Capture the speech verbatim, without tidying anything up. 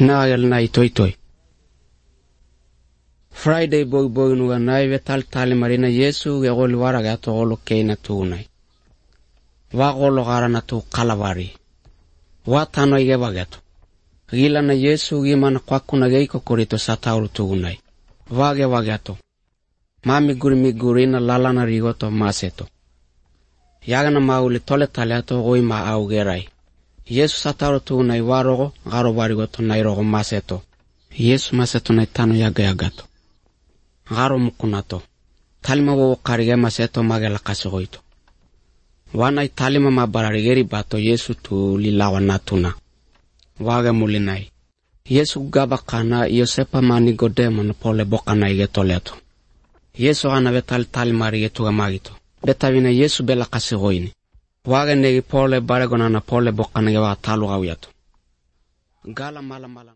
Nagal na itoy toy. Friday boy boy nuga na vetal tali marina Yesu ge gol waraga to golo keina tunai. Wa golo garana tu kalavari. Wa tano ige bagato. Gila na Yesu gi mana kwakuna ge iko korito satauru tunai. Wa ge bagato. Mami guri mi guri na lala na rigoto maseto. Yaga na mauli tole taliato goi ma au gerai. Yesu satauru tunai warogo garo barigoto nairogo maseto. Yesu maseto na tano yaga yagato. Garo mukunato. Talima wo karige maseto magela kasigoito. Wana talima mabararigeri bato Yesu tu lilawa natuna. Waga mulinai. Yesu gaba kana Yosepa mani godemo na pole bokana ige toleto. Yesu ana betal talima rige tuga magito. Betavina Yesu bela kasigoini. Waga negi pole baregona na pole bokana ge wa talu gawiato. Gala mala mala.